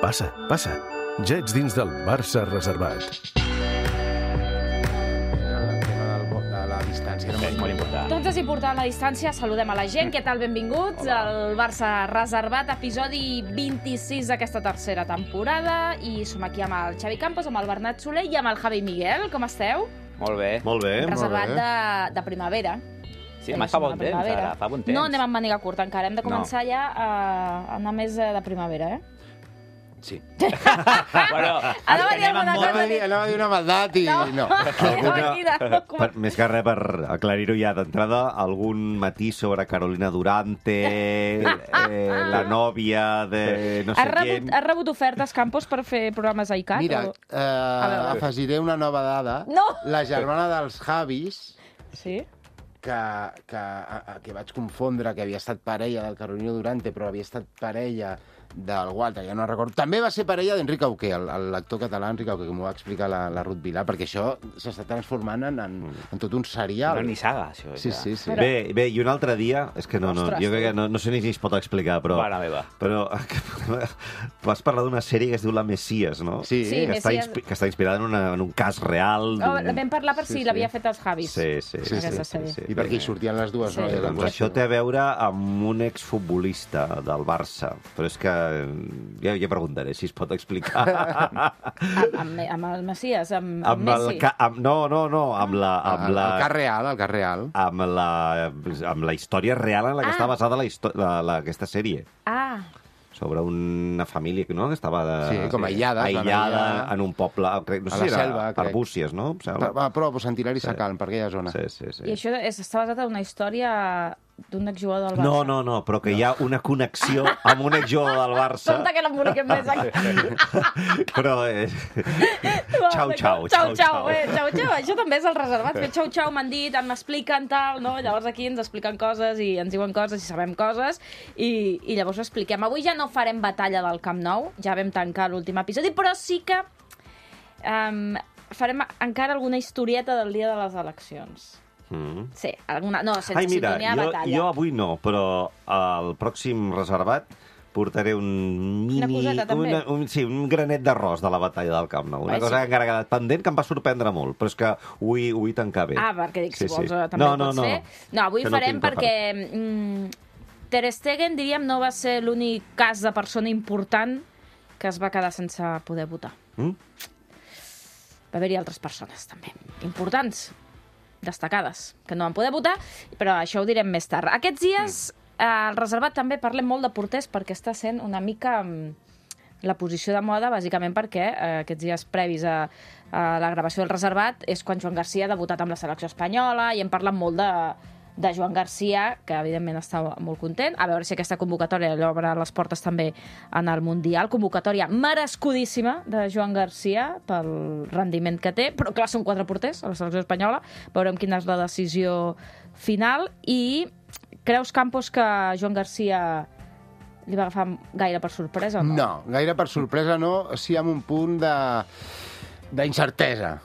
Passa, passa. Ja ets dins del Barça reservat. És molt important. Doncs és important la distància. Saludem a la gent. Què tal? Benvinguts al Barça Reservat, episodi 26 d'aquesta tercera temporada. I som aquí amb el Xavi Campos, amb el Bernat Soler i amb el Javi Miguel. Com esteu? Molt bé. Molt bé. Reservat de primavera. Sí, fa bon temps, ara. Fa bon temps. No anem amb màniga curta encara. Hem de començar ja a anar més de primavera, Sí. Bueno, Anava a dir alguna cosa. Anava a dir una maldat i no. Més que res, per aclarir-ho ja d'entrada, algun matís sobre Carolina Durante, la nòvia de no sé quién... Has rebut ofertes, Campos, per fer programes a ICAT? Mira, afegiré una nova dada. No! La germana dels Javis, Sí? que vaig confondre, que havia estat parella del Carolina Durante, però havia estat parella d'algú altre, ja no recordo. També va ser parella d'Enric Auqué, l'actor català Enric Auqué, que m'ho va explicar la Ruth Vilà, perquè això s'està transformant en tot un serial. Una nissaga, això. Sí. Bé, i un altre dia, és que Ostres, jo crec que no sé ni si es pot explicar, però... Mare meva. Però vas parlar d'una sèrie que es diu La Messies, no? Sí. Sí. Que està, Messies. que està inspirada en un cas real. Vam parlar per si l'havia fet els Javis. Sí. Aquesta sèrie. I perquè hi sortien les dues Sí. noies. Doncs això té a veure amb un exfutbolista del Barça, però és que ja preguntaré si es pot explicar. Amb el Messias, amb Amb Messi. no, amb la... El cas real. Amb la història real en la que està basada aquesta sèrie. Ah, Sobre una família no? Que estava com aïllada en un poble, no a sé la si era selva, crec. Arbúcies, no? Però Sant Hilari Sacalm, per aquella zona. Sí. i això està basat en una història d'un exjugador del Barça. No, però que hi ha una connexió amb un exjugador del Barça. Compte que no emboliquem més aquí. Però... Xau. Xau. Això també és el reservat. Fer xau, m'han dit, m'expliquen tal, no? Llavors aquí ens expliquen coses i ens diuen coses i sabem coses i llavors ho expliquem. Avui ja no farem batalla del Camp Nou, ja vam tancar l'últim episodi, però sí que farem encara alguna historieta del dia de les eleccions. Sí, alguna... No, sense sintonia de batalla. Jo avui no, però al pròxim reservat portaré un mini... Una coseta, també? Un granet d'arròs de la batalla del Camp Nou. Una cosa que encara ha quedat pendent, que em va sorprendre molt, però és que ho vull tancar bé. Ah, perquè dic, si vols, també ho pots fer. No, avui farem perquè Ter Stegen, diríem, no va ser l'únic cas de persona important que es va quedar sense poder votar. Va haver-hi altres persones, també, importants, destacades, que no van poder votar, però això ho direm més tard. Aquests dies, al reservat també parlem molt de porters perquè està sent una mica la posició de moda, bàsicament perquè aquests dies previs a la gravació del reservat és quan Joan Garcia ha debutat amb la selecció espanyola i hem parlat molt de Joan Garcia, que evidentment està molt content. A veure si aquesta convocatòria li obre les portes també en el Mundial. Convocatòria merescudíssima de Joan Garcia pel rendiment que té, però clar, són 4 porters a la selecció espanyola. Veurem quina és la decisió final. I creus, Campos, que Joan Garcia li va agafar gaire per sorpresa o no? No, gaire per sorpresa no, sí amb un punt d'incertesa,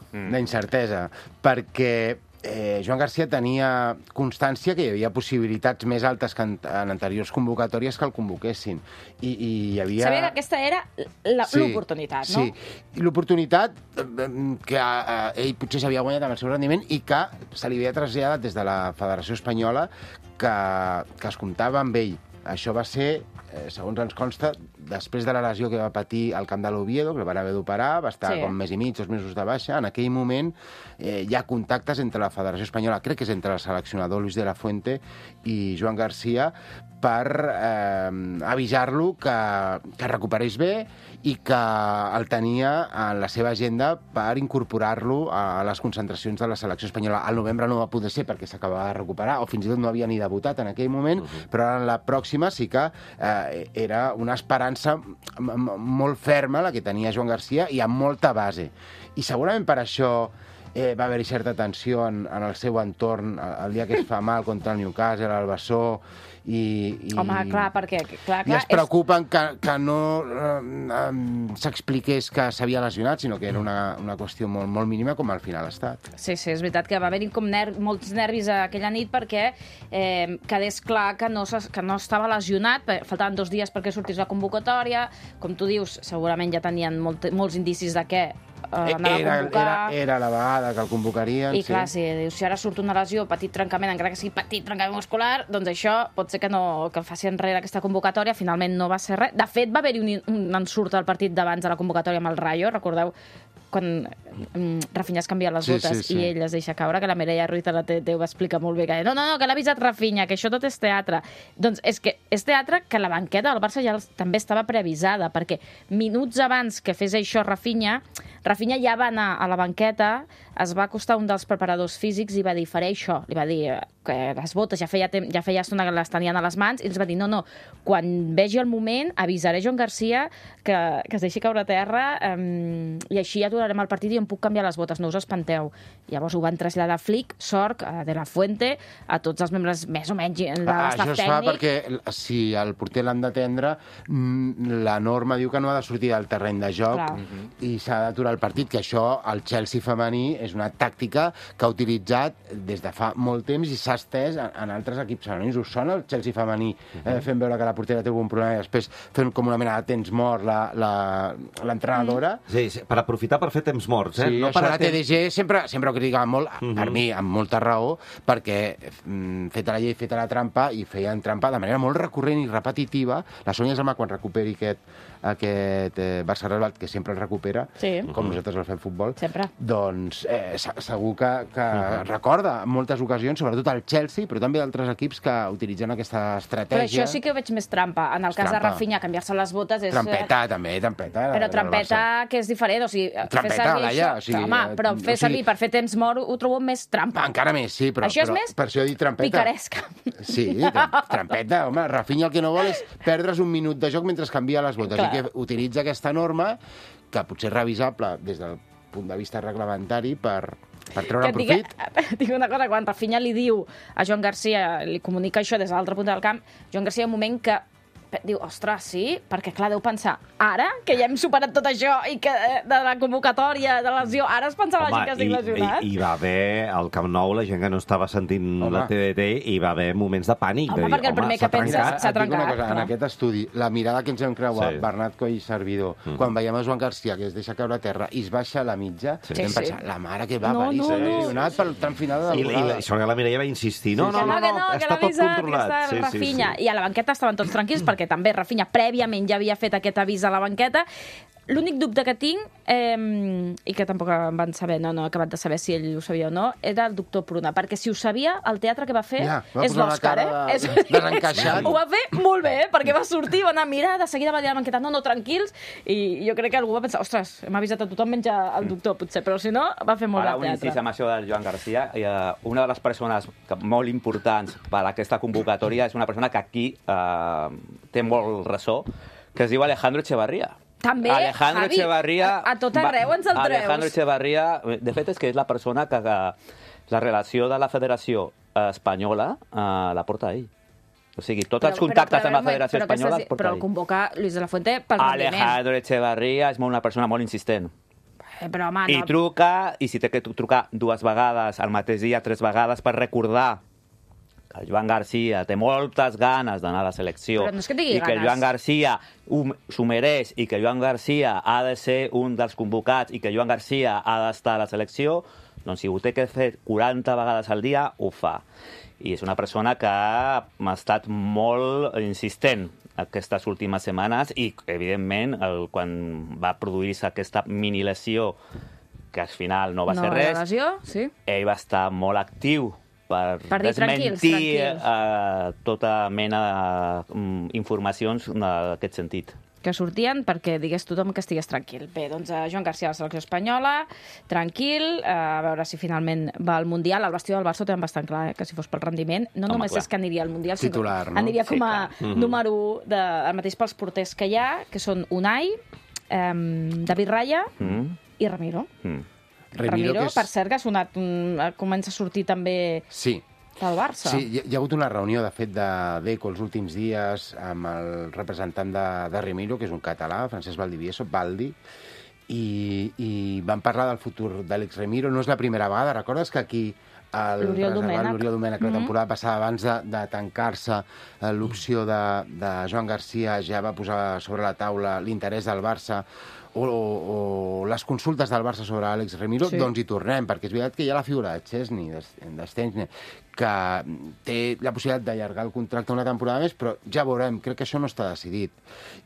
perquè Joan Garcia tenia constància que hi havia possibilitats més altes que en anteriors convocatòries que el convoquessin. I hi havia... Sabia que aquesta era l'oportunitat, no? Sí, l'oportunitat que ell potser s'havia guanyat amb el seu rendiment i que se li havia traslladat des de la Federació Espanyola que es comptava amb ell. Això va ser, segons ens consta, després de la lesió que va patir al camp de l'Oviedo, que el van haver d'operar, va estar com mes i mig, 2 mesos de baixa. En aquell moment hi ha contactes entre la Federació Espanyola, crec que és entre el seleccionador Luis de la Fuente i Joan Garcia, per avisar-lo que recuperés bé i que el tenia en la seva agenda per incorporar-lo a les concentracions de la selecció espanyola. Al novembre no va poder ser perquè s'acabava de recuperar, o fins i tot no havia ni debutat en aquell moment, però en la pròxima sí que era una esperança molt ferma la que tenia Joan Garcia i amb molta base. I segurament per això va haver-hi certa tensió en el seu entorn el dia que es fa mal contra el Newcastle, el Bessó, Home, clar, perquè... I es preocupen que no s'expliqués que s'havia lesionat, sinó que era una qüestió molt mínima, com al final ha estat. Sí, és veritat que va haver-hi com molts nervis aquella nit perquè quedés clar que no estava lesionat, faltaven 2 dies perquè sortís la convocatòria, com tu dius, segurament ja tenien molts indicis de què era la vegada que el convocarien. I clar, si ara surt una lesió, petit trencament, encara que sigui petit trencament muscular, doncs això pot ser que el faci enrere aquesta convocatòria, finalment no va ser res. De fet, va haver-hi un ensurt al partit d'abans de la convocatòria amb el Rayo, recordeu quan Rafinha es canvia les botes i ell es deixa caure, que la Mireia Ruiz a la TT ho va explicar molt bé, que no, que l'ha avisat Rafinha, que això tot és teatre. Doncs és que és teatre que la banqueta del Barça ja també estava preavisada, perquè minuts abans que fes això Rafinha ja va anar a la banqueta, es va acostar un dels preparadors físics i va dir, faré això. Li va dir que les botes ja feia estona que les tenien a les mans, i els va dir, no, quan vegi el moment avisaré Joan Garcia que es deixi caure a terra i així ja aturarem el partit i em puc canviar les botes, no us espanteu. Llavors ho van traslladar a Flick, Sorg, a De La Fuente, a tots els membres més o menys de l'estaf tècnic. Això es fa perquè si el porter l'han d'atendre, la norma diu que no ha de sortir del terreny de joc i s'ha d'aturar el partit, que això el Chelsea femení és una tàctica que ha utilitzat des de fa molt temps i s'ha estès en altres equips femenins. Us sona el Chelsea femení fent veure que la portera té algun problema i després fent com una mena de temps mort l'entrenadora? Sí, per aprofitar per fer temps morts. Sí, això la TDG sempre ho criticava molt, per mi, amb molta raó, perquè feta la llei, feta la trampa, i feien trampa de manera molt recurrent i repetitiva. La Sònia Zalmà, quan recuperi aquest Barça Real, que sempre el recupera, com nosaltres el fem futbol, doncs segur que recorda en moltes ocasions, sobretot el Chelsea, però també d'altres equips que utilitzen aquesta estratègia. Però això sí que ho veig més trampa. En el cas de Rafinha, canviar-se les botes és... Trampeta, també, trampeta. Però trampeta, que és diferent, o sigui... Trampeta, Laia, o sigui... Home, però fer servir per fer temps mort ho trobo més trampa. Encara més, sí, però... Això és més per això he dit trampeta. Picaresca. Sí, trampeta, home, Rafinha el que no vol és perdre's un minut de joc mentre canvia les botes, i que utilitza aquesta norma, que potser és revisable des del punt de vista reglamentari per treure profit. Dic una cosa, quan Rafinha li diu a Joan Garcia, li comunica això des de l'altre punt del camp, Joan Garcia hi ha un moment que diu, ostres, sí? Perquè, clar, deu pensar, ara, que ja hem superat tot això i que de la convocatòria, de la lesió, ara es pensava la gent que estic lesionat? I va haver, al Camp Nou, la gent que no estava sentint la TDT, i va haver moments de pànic. Home, perquè el primer que penses s'ha trencat. Cosa, en aquest estudi, la mirada que ens hem creuat, Bernat Coll i Servidor, quan veiem a Joan Garcia, que es deixa caure a terra i es baixa a la mitja, vam pensar, la mare que va parir, s'ha lesionat pel tram final de la temporada. I sobre la Mireia va insistir, no, està tot controlat. I a la banqueta estaven tots tranquils, perquè també Rafinha prèviament ja havia fet aquest avís a la banqueta. L'únic dubte que tinc, i que tampoc em van saber, no he acabat de saber si ell ho sabia o no, era el doctor Pruna, perquè si ho sabia, el teatre que va fer és l'Òscar, desencaixat. Ho va fer molt bé, perquè va sortir, va anar a mirar, de seguida va dir a la banqueta, no, tranquils, i jo crec que algú va pensar, ostres, hem avisat a tothom menys el doctor, potser, però si no, va fer molt de teatre. Ara, un incís amb això del Joan Garcia, una de les persones molt importants per a aquesta convocatòria és una persona que aquí té molt ressò, que es diu Alejandro Echevarría. També, Alejandro Javi, Echevarría, a tot arreu ens el treus. Alejandro Echevarría, de fet, és que és la persona que la relació de la Federació Espanyola la porta ell. O sigui, tots els contactes amb la Federació Espanyola els porta ell. Però el convoca Luis de la Fuente pel rendiment. Alejandro Echevarría és una persona molt insistent. Però, home, I truca, i si té que trucar 2 vegades al mateix dia, 3 vegades, per recordar que el Joan Garcia té moltes ganes d'anar a la selecció, però no és que tingui i que el Joan Garcia s'ho mereix, i que Joan Garcia ha de ser un dels convocats, i que Joan Garcia ha d'estar a la selecció, doncs si ho té que fer 40 vegades al dia, ho fa. I és una persona que ha estat molt insistent aquestes últimes setmanes, i, evidentment, quan va produir-se aquesta mini-lesió, que al final no va ser res, ell va estar molt actiu per desmentir tota mena d'informacions en aquest sentit. Que sortien perquè digués tothom que estigués tranquil. Bé, doncs Joan Garcia a la selecció espanyola, tranquil, a veure si finalment va al Mundial. El vestit del Barça ho tenen bastant clar, que si fos pel rendiment, no només és que aniria al Mundial, sinó aniria com a número 1, el mateix pels porters que hi ha, que són Unai, David Raya i Ramiro. Ramiro, per cert, que ha sonat, comença a sortir també del Barça. Sí, hi ha hagut una reunió, de fet, de Deco els últims dies amb el representant de Ramiro, que és un català, Francesc Valdivieso, Valdi, i van parlar del futur d'Àlex Ramiro. No és la primera vegada, recordes que aquí l'Oriol Domènech la temporada passada, abans de tancar-se l'opció de Joan Garcia, ja va posar sobre la taula l'interès del Barça o les consultes del Barça sobre Àlex Ramiro, doncs hi tornem, perquè és veritat que hi ha la figura de Szczęsny, que té la possibilitat d'allargar el contracte una temporada més, però ja veurem, crec que això no està decidit.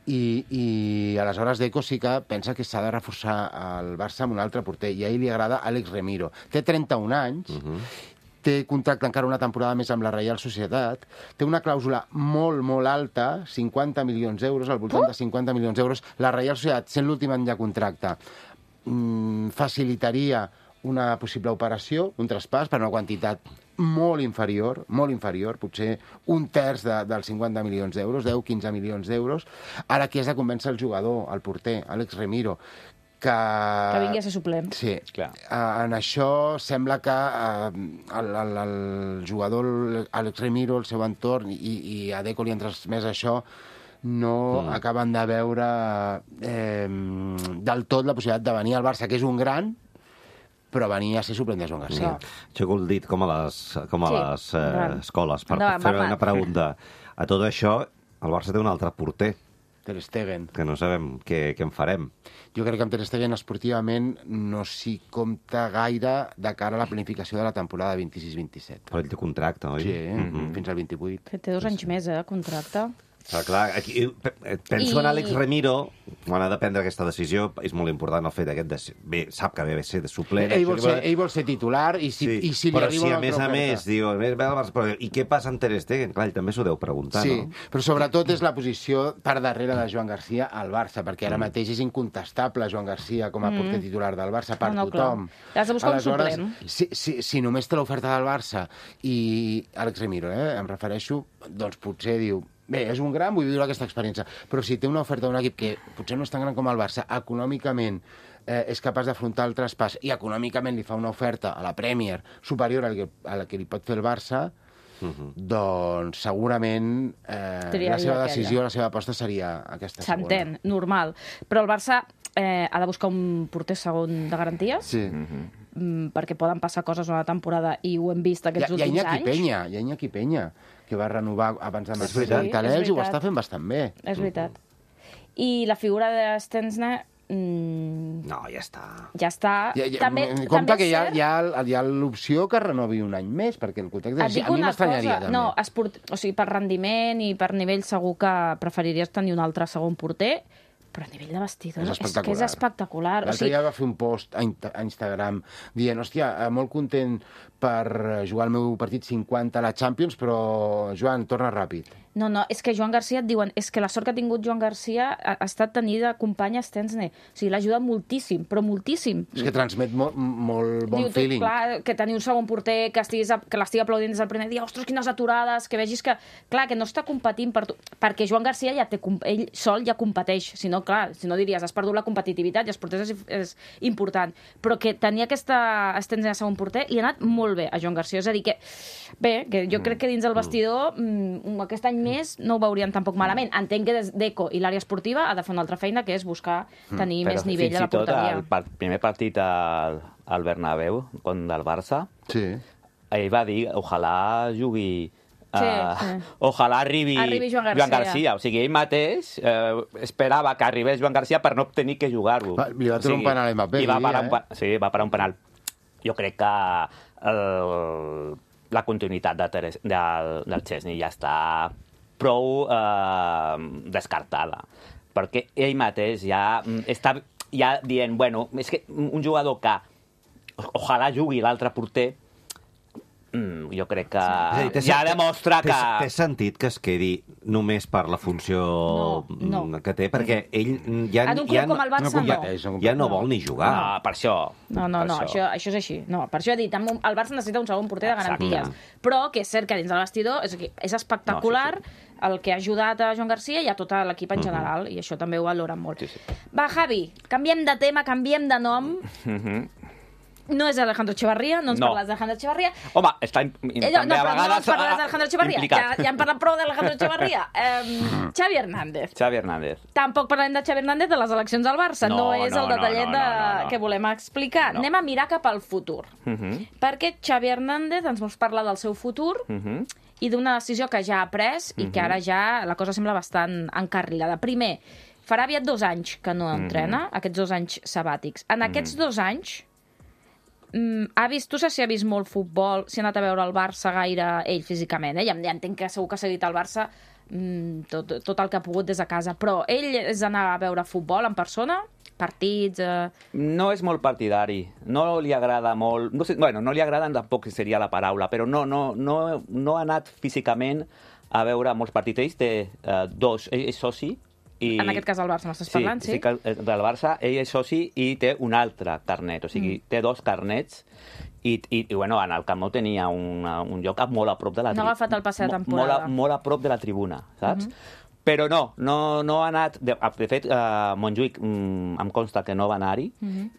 I aleshores Deco sí que pensa que s'ha de reforçar el Barça amb un altre porter, i a ell li agrada Àlex Ramiro. Té 31 anys, té contracte encara una temporada més amb la Reial Societat, té una clàusula molt, molt alta, 50 milions d'euros, al voltant de 50 milions d'euros. La Reial Societat, sent l'últim any de contracte, facilitaria una possible operació, un traspàs, per una quantitat molt inferior, potser un terç dels 50 milions d'euros, 10-15 milions d'euros. Ara qui has de convèncer el jugador, el porter, Àlex Ramiro, que vingui a ser suplent. Sí, clar. En això sembla que el jugador Àlex Ramiro, el seu entorn, i a Deco li han transmès això, no acaben de veure del tot la possibilitat de venir al Barça, que és un gran, però venir a ser suplent de Joan Garcia. Aixeco el dit com a les escoles. Per fer una pregunta. A tot això, el Barça té un altre porter. Ter Stegen. Que no sabem què en farem. Jo crec que amb Ter Stegen esportivament no s'hi compta gaire de cara a la planificació de la temporada 26-27. Però ell té contracte, oi? Sí, fins al 28. Té 2 anys més, contracte. Però clar, aquí, penso en Àlex Ramiro, quan ha de prendre aquesta decisió, és molt important el fet aquest bé, sap que ve a ser de suplent. Ell vol ser titular, i si li però arriba si a més a més diu, i què passa amb Ter Stegen? Clar, ell també s'ho deu preguntar, no? Sí, però sobretot és la posició per darrere de Joan Garcia al Barça, perquè ara mateix és incontestable Joan Garcia com a porter titular del Barça per tothom. Has de buscar un suplent. Si només té l'oferta del Barça i Àlex Ramiro, em refereixo, doncs potser diu, bé, és un gran, vull viure aquesta experiència, però si té una oferta d'un equip que potser no és tan gran com el Barça, econòmicament és capaç d'afrontar el traspàs i econòmicament li fa una oferta a la Premier superior a la que li pot fer el Barça, doncs segurament la seva decisió, la seva aposta seria aquesta segona. S'entén, normal. Però el Barça ha de buscar un porter segon de garanties, perquè poden passar coses una temporada i ho hem vist aquests últims anys. Hi ha Iñaki Peña, que va renovar abans de marxar d'Elx i ho està fent bastant bé. És veritat. I la figura de Szczęsny... No, ja està. Ja està. Compte que hi ha l'opció que renovi un any més, perquè el contracte... A mi m'estranyaria, també. No, o sigui, per rendiment i per nivell segur que preferiries tenir un altre segon porter, però a nivell de vestidor és que és espectacular. L'altre dia va fer un post a Instagram dient, hòstia, molt content per jugar el meu partit 50 a la Champions, però, Joan, torna ràpid. No, és que Joan Garcia et diuen, és que la sort que ha tingut Joan Garcia ha estat tenir de company Szczęsny. O sigui, l'ha ajudat moltíssim, però moltíssim. És que transmet molt bon feeling. Clar, que tenir un segon porter que l'estigui aplaudint des del primer dia, ostres, quines aturades, que vegis que, clar, que no està competint per tu, perquè Joan Garcia ja té, ell sol ja competeix, si no, clar, si no diries, has perdut la competitivitat i els porters és important, però que tenir aquesta Szczęsny de segon porter li ha anat molt bé a Joan Garcia, és a dir que, bé, que jo crec que dins del vestidor aquest any més no ho veurien tampoc malament. Entenc que Deco i l'àrea esportiva ha de fer una altra feina, que és buscar tenir més nivell a la porteria. Però fins i tot el primer partit al Bernabéu, del Barça, ell va dir, ojalà jugui... Ojalà arribi Joan Garcia. O sigui, ell mateix esperava que arribés Joan Garcia per no tenir que jugar-ho. Li va treure un penal a Mbappé. Sí, va parar un penal. Jo crec que la continuïtat del Szczęsny ja està prou descartada, perquè ell mateix ja està dient, bueno, és que un jugador que ojalà jugui l'altre porter, jo crec que ja demostra que... Té sentit que es quedi només per la funció que té, perquè ell ja no vol ni jugar. No, per això. No, això és així. No, per això he dit, el Barça necessita un segon porter de garanties. Però que és cert que dins del vestidor és espectacular el que ha ajudat a Joan Garcia i a tot l'equip en general, i això també ho valoren molt. Va, Javi, canviem de tema, canviem de nom. No és Alejandro Echevarría, no ens parles d'Alejandro Echevarría. Home, està també a vegades no ens parles d'Alejandro Echevarría. implicat. Ja hem parlat prou d'Alejandro Echevarría. Xavi Hernández. Xavi Hernández. Tampoc parlem de Xavi Hernández de les eleccions al Barça. No és el detallet que volem explicar. Anem a mirar cap al futur. Perquè Xavi Hernández ens vol parlar del seu futur i d'una decisió que ja ha pres i que ara ja la cosa sembla bastant encarrilada. Primer, farà aviat 2 anys que no entrena, aquests 2 anys sabàtics. En aquests 2 anys, tu saps si ha vist molt futbol, si ha anat a veure el Barça gaire ell físicament, ja entenc que segur que ha seguit el Barça tot el que ha pogut des de casa, però ell és d'anar a veure futbol en persona? Partits... No és molt partidari, no li agrada molt... No li agrada tampoc seria la paraula, però no ha anat físicament a veure molts partits. Ell té 2, ell és soci. En aquest cas el Barça m'estàs parlant, sí? Sí, del Barça, ell és soci i té un altre carnet, o sigui, té 2 carnets i bueno, en el Camp Nou tenia un lloc molt a prop de la tribuna. No ha agafat el passe de temporada. Molt a prop de la tribuna, saps? Però no ha anat... De fet, Montjuïc em consta que no va anar-hi,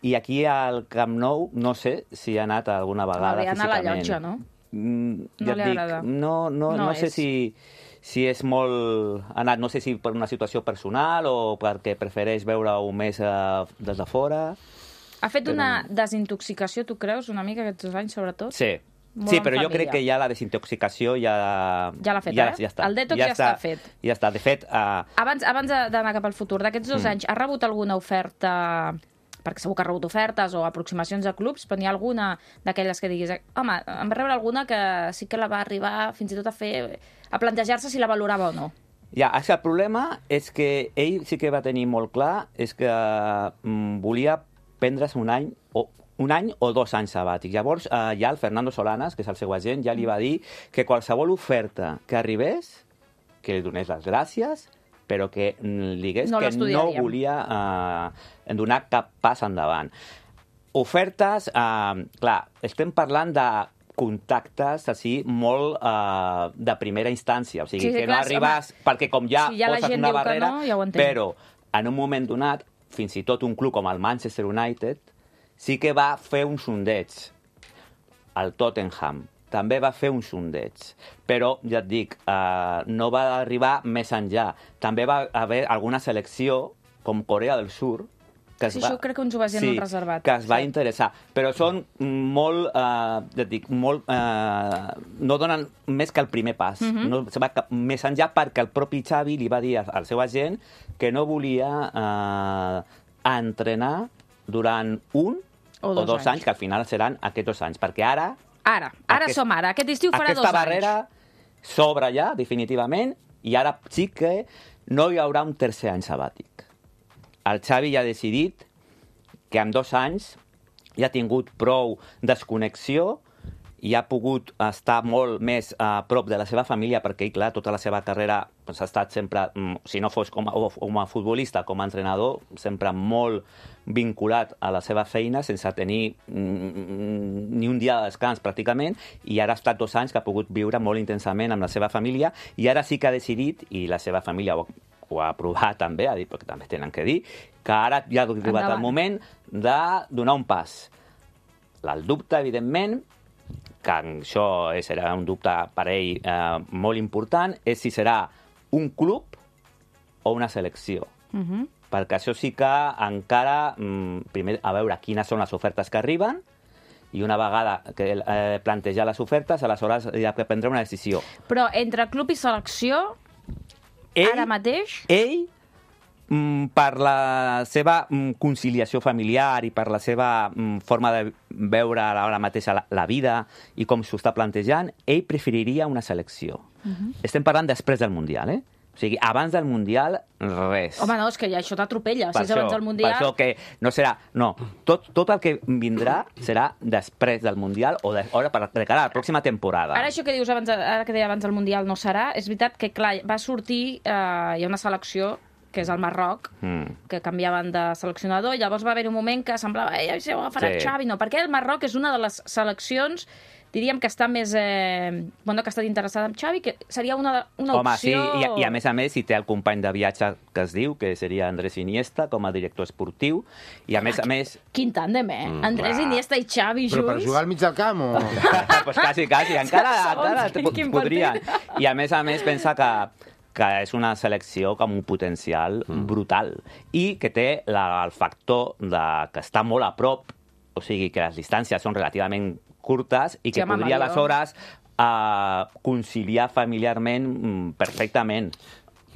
i aquí al Camp Nou no sé si ha anat alguna vegada físicament. Va anar a la llotja, no? No li agrada. No sé si és molt anat, no sé si per una situació personal o perquè prefereix veure-ho més des de fora. Ha fet una desintoxicació, tu creus, una mica aquests 2 anys, sobretot? Sí, però jo crec que ja la desintoxicació ja l'ha fet, ja està. El detox ja està fet. Ja està, de fet... Abans d'anar cap al futur, d'aquests 2 anys, ha rebut alguna oferta... Perquè segur que ha rebut ofertes o aproximacions a clubs, però n'hi ha alguna d'aquelles que diguis home, em va rebre alguna que sí que la va arribar fins i tot a plantejar-se si la valorava o no. Ja, el problema és que ell sí que va tenir molt clar és que volia prendre's un any o 2 anys sabàtics. Llavors, ja el Fernando Solanas, que és el seu agent, ja li va dir que qualsevol oferta que arribés, que li donés les gràcies, però que li digués que no volia donar cap pas endavant. Ofertes, clar, estem parlant de contactes així molt de primera instància, o sigui, que no arribes perquè com ja poses una barrera, però en un moment donat, fins i tot un club com el Manchester United sí que va fer un sondeig. El Tottenham també va fer un sondeig, però, ja et dic, no va arribar més enllà. També va haver alguna selecció, com Corea del Sur, que això crec que ens ho va dir en un reservat. Que es va interessar, però són molt, ja et dic, no donen més que el primer pas. No se va més enllà perquè el propi Xavi li va dir al seu agent que no volia entrenar durant 1 o 2 anys, que al final seran aquests 2 anys, perquè ara som ara. Aquest estiu farà 2 anys. Aquesta barrera s'obre ja, definitivament, i ara sí que no hi haurà un tercer any sabàtic. El Xavi ja ha decidit que en 2 anys ja ha tingut prou desconnexió i ha pogut estar molt més a prop de la seva família, perquè, clar, tota la seva carrera ha estat sempre, si no fos com a futbolista, com a entrenador, sempre molt vinculat a la seva feina, sense tenir ni un dia de descans, pràcticament, i ara ha estat 2 anys que ha pogut viure molt intensament amb la seva família, i ara sí que ha decidit, i la seva família ho ha aprovat també, ha dit, perquè també tenen que dir, que ara ja ha arribat el moment de donar un pas. El dubte, evidentment, que això serà un dubte per ell molt important, és si serà un club o una selecció. Perquè això sí que encara, primer, a veure quines són les ofertes que arriben, i una vegada que plantejar les ofertes, aleshores hi ha que prendre una decisió. Però entre club i selecció, ara mateix... Ell, per la seva conciliació familiar i per la seva forma de veure ara mateix la vida i com s'ho està plantejant, ell preferiria una selecció. Estem parlant després del Mundial, O sigui, abans del Mundial, res. Home, no, és que ja això t'atropella. Si és abans del Mundial... Per això que no serà... No, tot el que vindrà serà després del Mundial o de cara a la pròxima temporada. Ara això que dius, ara que deia abans del Mundial no serà, és veritat que, clar, va sortir, hi ha una selecció que és el Marroc, que canviaven de seleccionador, i llavors va haver un moment que semblava si ho agafarà Xavi, no, perquè el Marroc és una de les seleccions, diríem que està més... que ha estat interessada en Xavi, que seria una opció... Home, sí, i a més, si té el company de viatge que es diu, que seria Andrés Iniesta, com a director esportiu, i a més... Quin tàndem, Andrés Iniesta i Xavi junts. Però per jugar al mig del camp, o...? Pues quasi, encara podrien. I a més, pensa que és una selecció amb un potencial brutal i que té el factor que està molt a prop, o sigui, que les distàncies són relativament curtes i que podria, aleshores, conciliar familiarment perfectament.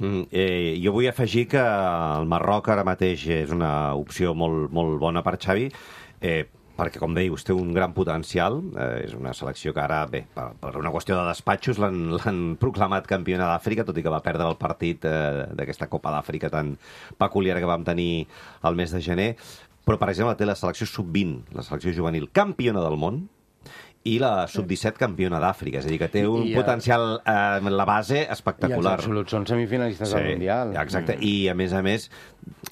Jo vull afegir que el Marroc ara mateix és una opció molt, molt bona per Xavi, perquè, com deius, té un gran potencial. És una selecció que ara, per una qüestió de despatxos, l'han proclamat campiona d'Àfrica, tot i que va perdre el partit d'aquesta Copa d'Àfrica tan peculiar que vam tenir el mes de gener. Però, per exemple, té la selecció sub-20, la selecció juvenil campiona del món, i la sub-17 campiona d'Àfrica. És a dir, que té un potencial en la base espectacular. I els absoluts són semifinalistes del Mundial. Exacte. I, a més,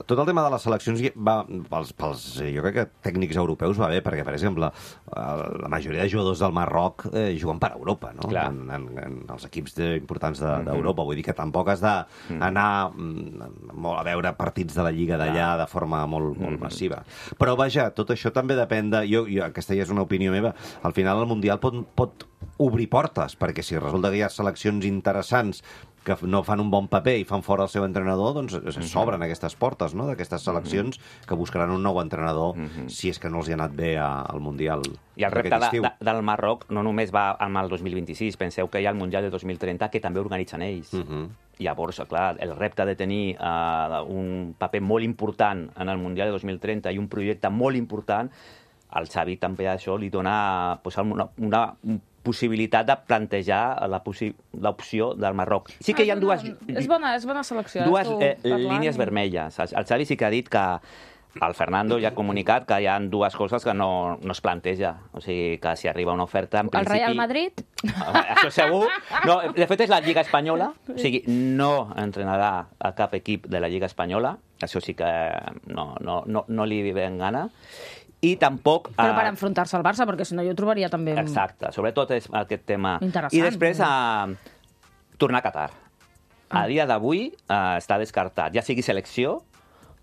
tot el tema de les seleccions va pels jo crec que tècnics europeus va bé, perquè, per exemple, la majoria de jugadors del Marroc juguen per Europa, no? En els equips importants d'Europa. Vull dir que tampoc has d'anar a veure partits de la Lliga d'allà de forma molt massiva. Però, vaja, tot això també depèn de... Aquesta ja és una opinió meva. Al final, el Mundial pot obrir portes, perquè si resulta que hi ha seleccions interessants que no fan un bon paper i fan fora el seu entrenador, doncs s'obren aquestes portes, no?, d'aquestes seleccions que buscaran un nou entrenador si és que no els hi ha anat bé al Mundial. I el repte del Marroc no només va amb el 2026, penseu que hi ha el Mundial de 2030 que també organitzen ells. Llavors, clar, el repte de tenir un paper molt important en el Mundial de 2030 i un projecte molt important, al Xavi també això li dona una possibilitat de plantejar l'opció del Marroc. Sí que hi ha dues... És bona selecció. Dues línies vermelles. El Xavi sí que ha dit que el Fernando ja ha comunicat que hi ha dues coses que no es planteja. O sigui, que si arriba una oferta, en principi... El Real Madrid? Això segur. No, de fet, és la Lliga Espanyola. O sigui, no entrenarà a cap equip de la Lliga Espanyola. Això sí que no li ven gana. I tampoc... Però per enfrontar-se al Barça, perquè si no jo ho trobaria també... Exacte, sobretot és aquest tema. Interessant. I després tornar a Qatar. A dia d'avui està descartat, ja sigui selecció,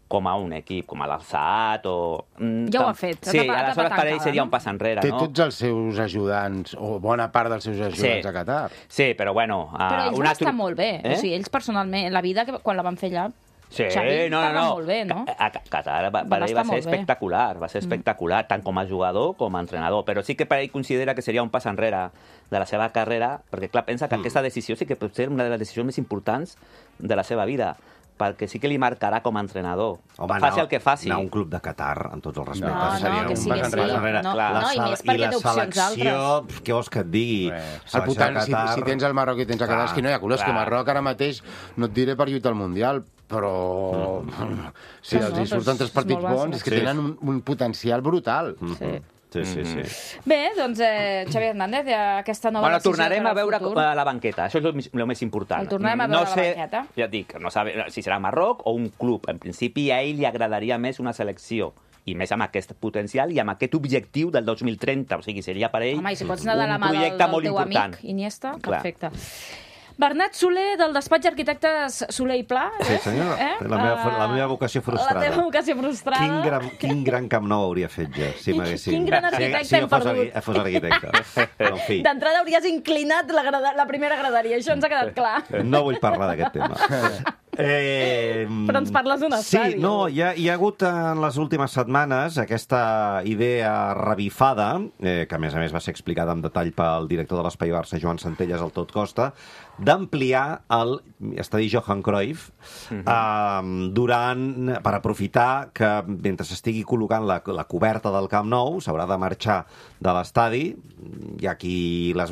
com a un equip, com a l'Al-Saad o... Ja ho ha fet. Sí, aleshores per ell seria un pas enrere, no? Té tots els seus ajudants, o bona part dels seus ajudants a Qatar. Sí, però bueno... Però ells van estar molt bé. O sigui, ells personalment, la vida, quan la van fer allà... Sí, Xavi estava molt bé, no? A Qatar per ell va ser espectacular, tant com a jugador com a entrenador, però sí que per ell considera que seria un pas enrere de la seva carrera, perquè clar, pensa que aquesta decisió sí que pot ser una de les decisions més importants de la seva vida, perquè sí que li marcarà com a entrenador. Home, faci el que faci. Anar a un club de Qatar, amb tots els respectes, seria un pas enrere. I més perquè té opcions altres. Què vols que et digui? Si tens el Marroc i tens a Qatar, és que no hi ha colors, que Marroc ara mateix no et diré per lluitar al Mundial, però si els surten 3 partits bons, és que tenen un potencial brutal. Sí. Bé, doncs, Xavi Hernández, aquesta nova decisió... Tornarem a veure la banqueta, això és el més important. El tornarem a veure la banqueta. Ja et dic, no sabe si serà Marroc o un club. En principi, a ell li agradaria més una selecció, i més amb aquest potencial i amb aquest objectiu del 2030. O sigui, seria per ell un projecte molt important. Home, i si pots anar de la mà del teu amic Iniesta, perfecte. Bernat Soler, del despatx d'arquitectes Soler i Pla. Sí, senyor. La meva vocació frustrada. La teva vocació frustrada. Quin gran Camp Nou hauria fet ja, si m'haguessin... Quin gran arquitecte hem perdut. Si fos arquitecte. D'entrada hauries inclinat la primera graderia, això ens ha quedat clar. No vull parlar d'aquest tema. Però ens parles d'un estadi. Sí, no, hi ha hagut en les últimes setmanes aquesta idea revifada, que a més va ser explicada en detall pel director de l'Espai Barça, Joan Centelles, al Tot Costa, d'ampliar l'estadi Johan Cruyff per aprofitar que mentre s'estigui col·locant la coberta del Camp Nou s'haurà de marxar de l'estadi. Hi ha aquí les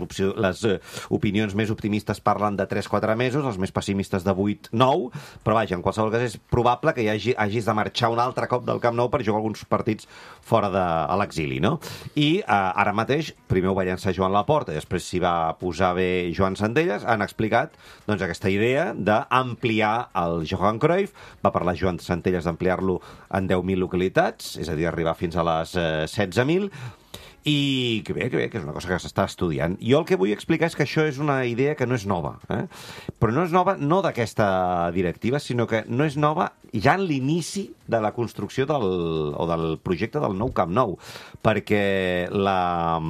opinions més optimistes parlen de 3-4 mesos, els més pessimistes de 8-9, però vaja, en qualsevol cas és probable que hagis de marxar un altre cop del Camp Nou per jugar alguns partits fora a l'exili, no? I ara mateix, primer ho va llançar Joan Laporta i després s'hi va posar bé Joan Centelles, han explicat doncs, aquesta idea d'ampliar el Johan Cruyff. Va parlar Joan Centelles d'ampliar-lo en 10.000 localitats, és a dir, arribar fins a les 16.000, i que bé, que és una cosa que s'està estudiant. Jo el que vull explicar és que això és una idea que no és nova, però no és nova no d'aquesta directiva, sinó que no és nova ja en l'inici de la construcció del projecte del nou Camp Nou, perquè la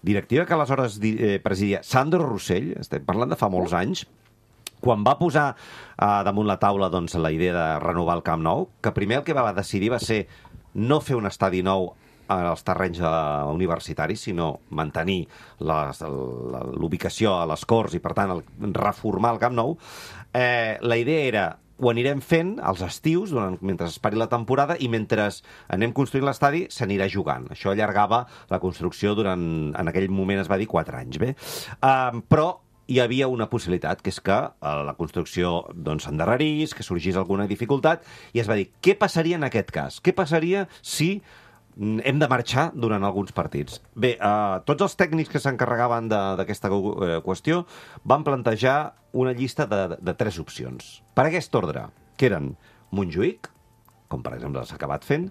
directiva que aleshores presidia Sandro Rossell, estem parlant de fa molts anys, quan va posar damunt la taula doncs, la idea de renovar el Camp Nou, que primer el que va decidir va ser no fer un estadi nou als terrenys universitaris, sinó mantenir l'ubicació a les Corts i, per tant, reformar el Camp Nou. La idea era ho anirem fent als estius, mentre es pari la temporada, i mentre anem construint l'estadi s'anirà jugant. Això allargava la construcció durant, en aquell moment es va dir, 4 anys. Bé. Però hi havia una possibilitat, que és que la construcció s'endarrerís, que sorgís alguna dificultat, i es va dir, què passaria en aquest cas? Què passaria si hem de marxar durant alguns partits? Bé, tots els tècnics que s'encarregaven d'aquesta qüestió van plantejar una llista de 3 opcions. Per aquest ordre, que eren Montjuïc, com per exemple s'ha acabat fent,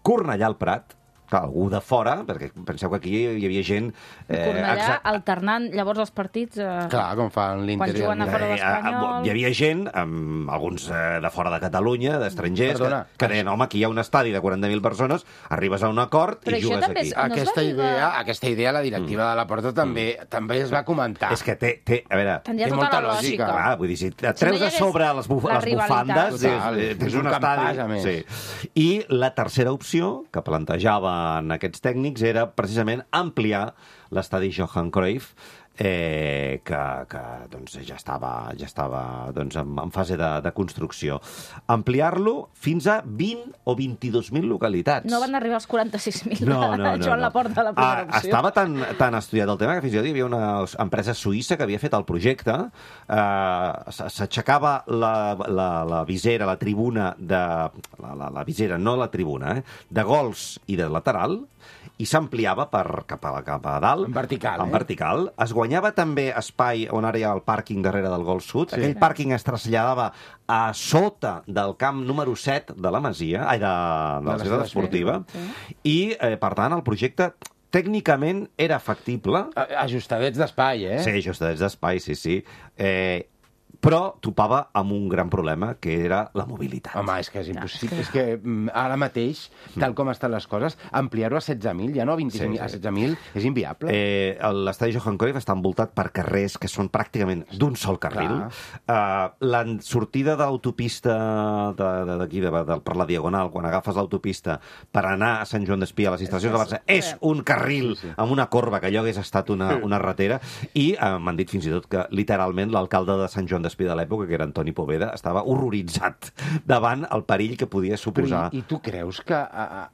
Cornellà al Prat, algú de fora, perquè penseu que aquí hi havia gent... Cornellà alternant llavors els partits... Clar, com fan l'Inter. Quan juguen a fora l'Espanyol... Hi havia gent, alguns de fora de Catalunya, d'estrangers, que deien, home, aquí hi ha un estadi de 40.000 persones, arribes a un acord i jugues aquí. Aquesta idea, la directiva de la Porta també es va comentar. És que té a veure... Tindria tota la lògica. Clar, vull dir, si et treus de sobre les bufandes, tens un estadi... I la tercera opció que plantejava en aquests tècnics era precisament ampliar l'estadi Johan Cruyff, que doncs, ja estava doncs, en fase de construcció. Ampliar-lo fins a 20 o 22.000 localitats. No van arribar als 46.000 Joan Laporta a la primera opció. Estava tan estudiat el tema que fins i tot hi havia una empresa suïssa que havia fet el projecte. S'aixecava la visera, la tribuna la visera, no la tribuna, de gols i de lateral, i s'ampliava cap a dalt. En vertical. En vertical. Es guanyava també espai on ara hi ha el pàrquing darrere del gol sud. Sí. Aquell pàrquing es traslladava a sota del camp número 7 de la Masia, de la ciutat esportiva, i, per tant, el projecte tècnicament era factible. Ajustadets d'espai, Sí, ajustadets d'espai, sí. Però topava amb un gran problema, que era la mobilitat. Home, és que és impossible. És que ara mateix, tal com estan les coses, ampliar-ho a 16.000, ja no a 25.000, a 16.000, és inviable. L'estadi Johan Cruyff està envoltat per carrers que són pràcticament d'un sol carril. La sortida d'autopista d'aquí, per la Diagonal, quan agafes l'autopista per anar a Sant Joan d'Espí, a les instal·lacions de Barça, és un carril amb una corba, que allò hagués estat una ratera, i m'han dit fins i tot que, literalment, l'alcalde de Sant Joan d'Espí de l'època, que era Antoni Poveda, estava horroritzat davant el perill que podia suposar. I tu creus que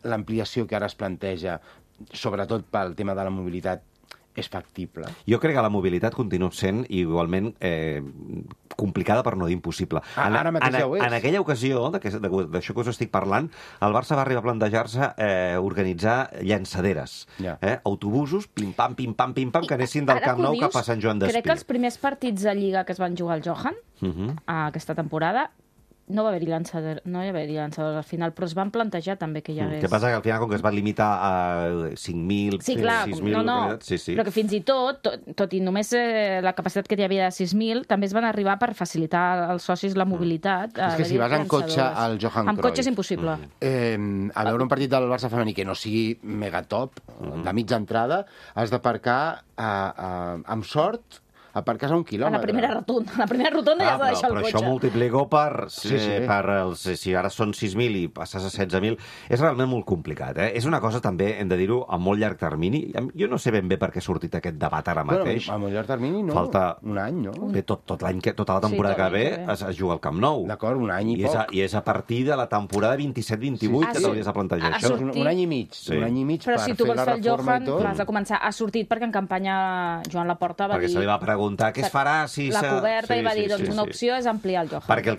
l'ampliació que ara es planteja, sobretot pel tema de la mobilitat, és factible? Jo crec que la mobilitat continua sent igualment complicada, per no dir impossible. Ara mateix ja ho és. En aquella ocasió, d'això que us estic parlant, el Barça va arribar a plantejar-se organitzar llançaderes. Autobusos, pim-pam, que anessin del Camp Nou cap a Sant Joan d'Espí. Crec que els primers partits de Lliga que es van jugar al Johan, aquesta temporada, no va haver-hi llançadors al final, però es van plantejar també que hi hagués... Què passa? Que al final, com que es va limitar a 5.000, 6.000... però que fins i tot i només la capacitat que hi havia de 6.000, també es van arribar per facilitar als socis la mobilitat. És que si vas en cotxe al Johan Cruyff... Amb cotxe és impossible. A veure un partit del Barça femení que no sigui megatop, de mitja entrada, has d'aparcar amb sort... aparques a 1 quilòmetre. A la primera rotonda ja has de deixar el cotxe. Però això multiplico si ara són 6.000 i passes a 16.000, és realment molt complicat. És una cosa també, hem de dir-ho, a molt llarg termini. Jo no sé ben bé per què ha sortit aquest debat ara mateix. A molt llarg termini no, un any, no? Bé, tota la temporada que ve es juga al Camp Nou. D'acord, un any i poc. I és a partir de la temporada 27-28 que t'hauries de plantejar això. Un any i mig. Un any i mig per fer la reforma i tot. Però si tu vols fer el Johan, l'has de començar. Ha sortit perquè en campanya Joan Laporta va dir... Perquè se li va preguntar preguntar què es farà si... La coberta i va dir, doncs una opció és ampliar el Johan. Perquè el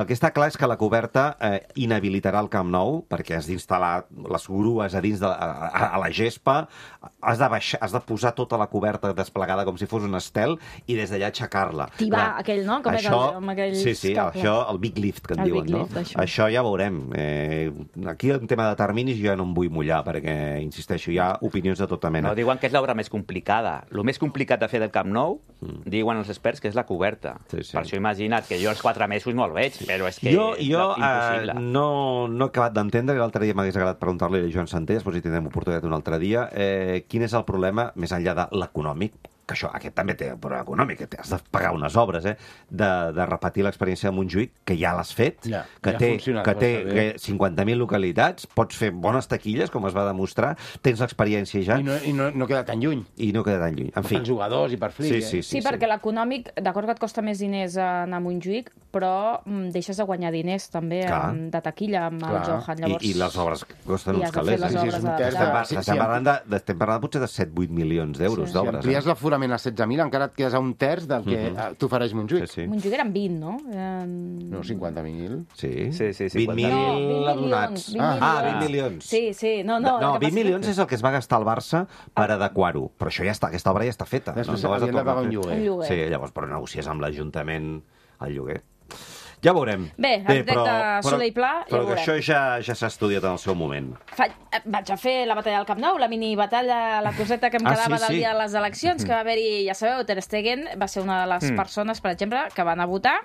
que està clar és que la coberta inhabilitarà el Camp Nou, perquè has d'instal·lar les grues a dins a la gespa, has de posar tota la coberta desplegada com si fos un estel i des d'allà aixecar-la. Tibar aquell, no? Com això, amb aquells sí, això, el big lift, que en diuen, no? Això ja veurem. Aquí, en tema de terminis, jo ja no em vull mullar, perquè, insisteixo, hi ha opinions de tota mena. No, diuen que és l'obra més complicada. El més complicat de fer del Camp Nou, diuen els experts, que és la coberta. Per això imagina't que jo els 4 mesos no el veig, però és que jo impossible. No he acabat d'entendre, l'altre dia m'hagués agradat preguntar-li a Joan Santé, després hi tindrem oportunitat un altre dia, quin és el problema, més enllà de l'econòmic, que aquest també té un problema econòmic, que has de pagar unes obres, de repetir l'experiència de Montjuïc, que ja l'has fet, que té 50.000 localitats, pots fer bones taquilles, com es va demostrar, tens l'experiència ja. I no queda tan lluny. En fi. Els jugadors i per flic. Sí, perquè l'econòmic, d'acord que et costa més diners anar a Montjuïc, però deixes de guanyar diners també de taquilla amb el Johan. I les obres costen uns calés. Estem parlant potser de 7-8 milions d'euros d'obres. Si amplies l'aforament a 16.000, encara et quedes a un terç del que t'ofereix Montjuïc. Montjuïc eren 20, no? No, 50.000. Sí, 20.000 abonats. 20 milions. Sí. No, 20 milions és el que es va gastar al Barça per adequar-ho. Però això ja està, aquesta obra ja està feta. Després havien de pagar un lloguer. Sí, llavors, però negocies amb l'Ajuntament el lloguer. Ja veurem. Bé, arquitecte Soler i Pla, ja ho veurem. Però això ja s'ha estudiat en el seu moment. Vaig a fer la batalla del Camp Nou, la mini batalla, la coseta que em quedava del dia de les eleccions, que va haver-hi, ja sabeu, Ter Stegen va ser una de les persones, per exemple, que van a votar,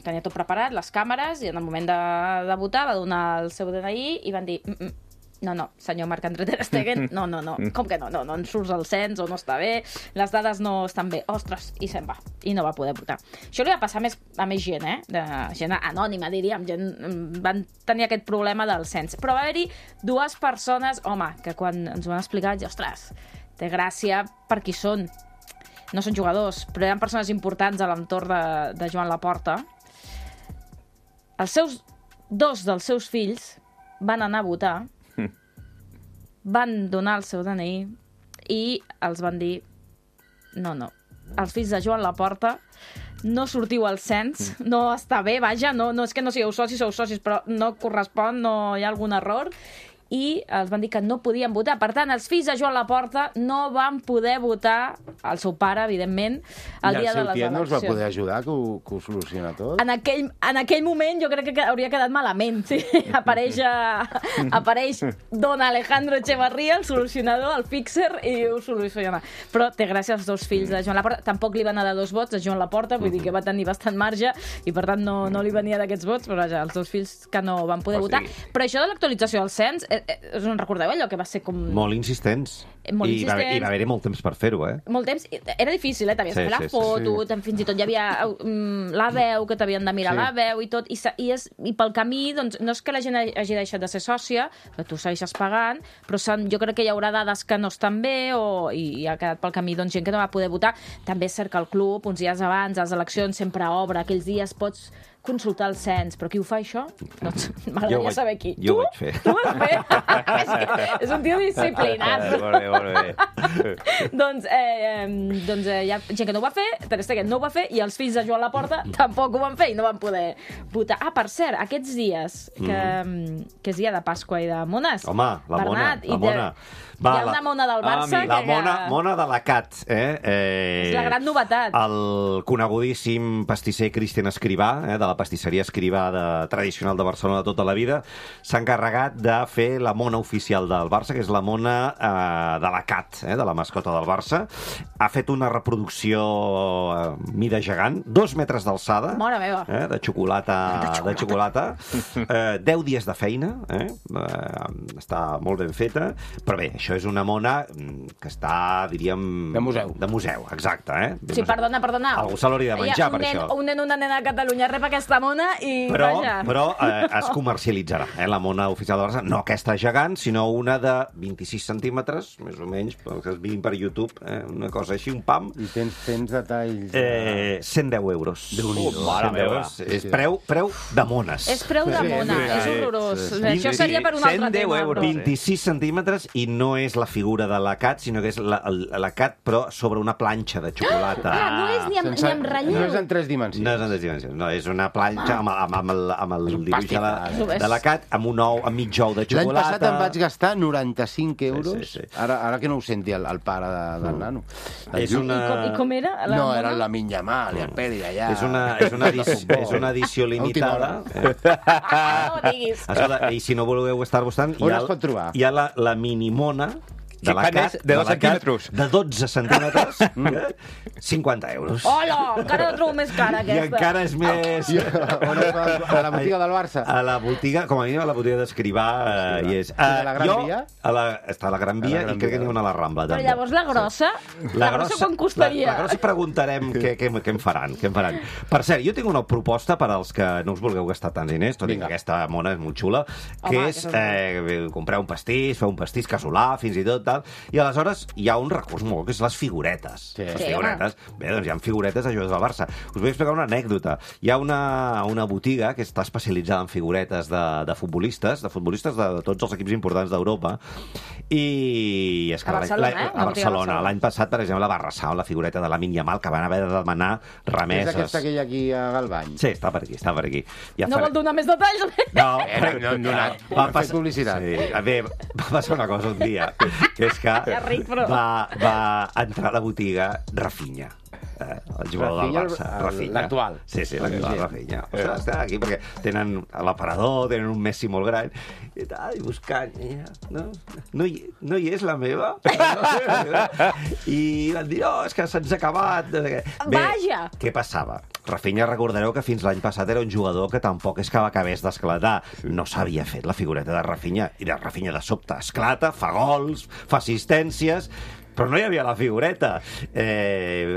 tenia tot preparat, les càmeres, i en el moment de votar va donar el seu DNI i van dir... No, senyor Marc-André Ter Stegen, no. Com que no? No ens surts el cens o no està bé, les dades no estan bé. Ostres, i se'n va. I no va poder votar. Això li va passar a més gent, gent anònima, diríem. Van tenir aquest problema del cens. Però va haver-hi 2 persones, home, que quan ens ho van explicar, ostres, té gràcia per qui són. No són jugadors, però eren persones importants a l'entorn de Joan Laporta. 2 dels seus fills van anar a votar, van donar el seu DNI i els van dir no, els fills de Joan Laporta no sortiu al cens, no està bé, vaja, no és que no sigueu socis, sou socis, però no correspon, no hi ha algun error, i els van dir que no podien votar. Per tant, els fills de Joan Laporta no van poder votar, el seu pare, evidentment, el dia de les eleccions. I el seu tiet no els va poder ajudar, que ho soluciona tot? En aquell moment jo crec que hauria quedat malament. Sí. Apareix don Alejandro Echevarría, el solucionador, el fixer, i ho soluciona. Però té gràcia als 2 fills de Joan Laporta. Tampoc li van anar 2 vots a Joan Laporta, vull dir que va tenir bastant marge, i per tant no li venia d'aquests vots, però vaja, els 2 fills que no van poder votar. Però això de l'actualització del cens, us en recordeu allò que va ser com... Molt insistents. I va haver-hi molt temps per fer-ho, Molt temps. Era difícil, t'havies de fer la foto, fins i tot hi havia la veu, que t'havien de mirar la veu i tot, i pel camí, doncs, no és que la gent hagi deixat de ser sòcia, que tu segueixes pagant, però jo crec que hi haurà dades que no estan bé, i ha quedat pel camí gent que no va poder votar. També és cert que el club, uns dies abans, les eleccions sempre obre, aquells dies pots consultar el cens, però qui ho fa, això? Doncs m'agradaria saber qui. Jo ho vaig fer. Tu ho vas fer? És un tio disciplinat. Molt bé. Doncs hi ha gent que no ho va fer, Ter Stegen no ho va fer, i els fills de Joan Laporta tampoc ho van fer i no van poder votar. Per cert, aquests dies, que és dia de Pasqua i de mones... Home, la Bernat, mona. Hi ha una mona del Barça... La mona de la Cat. És la gran novetat. El conegudíssim pastisser Cristian Escrivà, de la pastisseria Escrivà tradicional de Barcelona de tota la vida, s'ha encarregat de fer la mona oficial del Barça, que és la mona de la Cat, de la mascota del Barça. Ha fet una reproducció mida gegant, 2 metres d'alçada, de xocolata. 10 dies de feina, està molt ben feta, però bé, això és una mona que està, diríem... De museu. De museu, exacte. Sí, perdona. Algú se l'hauria de menjar, per això. Un nen o una nena a Catalunya rep aquesta aquesta mona i vaja. Però es comercialitzarà, la mona oficial de Barça. No aquesta gegant, sinó una de 26 centímetres, més o menys, que es viguin per YouTube, una cosa així, un pam. I tens detalls... 110 euros. Mare meva. És preu de mones. És preu de mona, és horrorós. Això seria per un altre tema. 26 centímetres i no és la figura de la Cat, sinó que és la Cat, però sobre una planxa de xocolata. No és ni amb relleu. No és en 3 dimensions. No és en 3 dimensions, no, és una planxa amb el dibuix de la Cat, amb mig ou de xocolata. L'any passat em vaig gastar 95 euros, ara que no ho senti el pare del nano. I com era? No, era la Minyamal, i el Peri allà. És una edició limitada. No ho diguis. I si no voleu estar buscant, hi ha la minimona de la Cat, de 2 centímetres. De 12 centímetres, 50 euros. Hola, encara la trobo més cara, aquesta. I encara és més... A la botiga del Barça? A la botiga, com a mínim a la botiga d'Escrivà hi és. I a la Gran Via? Està a la Gran Via i crec que n'hi ha una a la Rambla, també. Però llavors la grossa quan costaria? La grossa preguntarem què en faran. Per cert, jo tinc una proposta per als que no us vulgueu gastar tants diners, tot i que aquesta mona és molt xula, que és comprar un pastís, fer un pastís casolà, fins i tot, i aleshores hi ha un recurs molt, que és les figuretes. Les figuretes. Bé, doncs hi ha figuretes de jugadors del Barça. Us vull explicar una anècdota. Hi ha una botiga que està especialitzada en figuretes de futbolistes de tots els equips importants d'Europa, i és que a Barcelona. L'any passat, per exemple, va arrasar la figureta de Lamine Yamal, que van haver de demanar remeses. És aquesta que hi ha aquí a Galvany? Sí, està per aquí. No vol donar més detalls? No hem donat. Va fer publicitat. Bé, va passar una cosa un dia, que és que va entrar a la botiga Rafinha, el jugador del Barça. L'actual. Sí, l'actual Rafinha. Ostres, està aquí perquè tenen l'aparador, tenen un Messi molt gran, i buscant. No hi és la meva? I van dir, és que se'ns ha acabat. Vaja! Què passava? Rafinha, recordareu que fins l'any passat era un jugador que tampoc és que acabés d'esclatar. No s'havia fet la figureta de Rafinha, i de Rafinha de sobte esclata, fa gols, fa assistències, però no hi havia la figureta.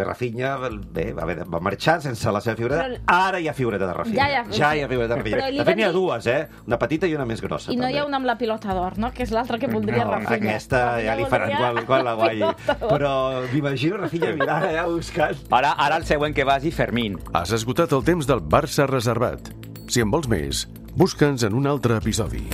Rafinha, va marxar sense la seva figureta. Ara hi ha figureta de Rafinha. Ja hi ha figureta de Rafinha. De fet, n'hi ha dues, una petita i una més grossa. I no hi ha una amb la pilota d'or, no? Que és l'altra que voldria Rafinha. Aquesta ja li faran quan la guanyi. Però m'imagino Rafinha mirant allà buscant. Ara el següent que vagi, Fermín. Has esgotat el temps del Barça reservat. Si en vols més, busca'ns en un altre episodi.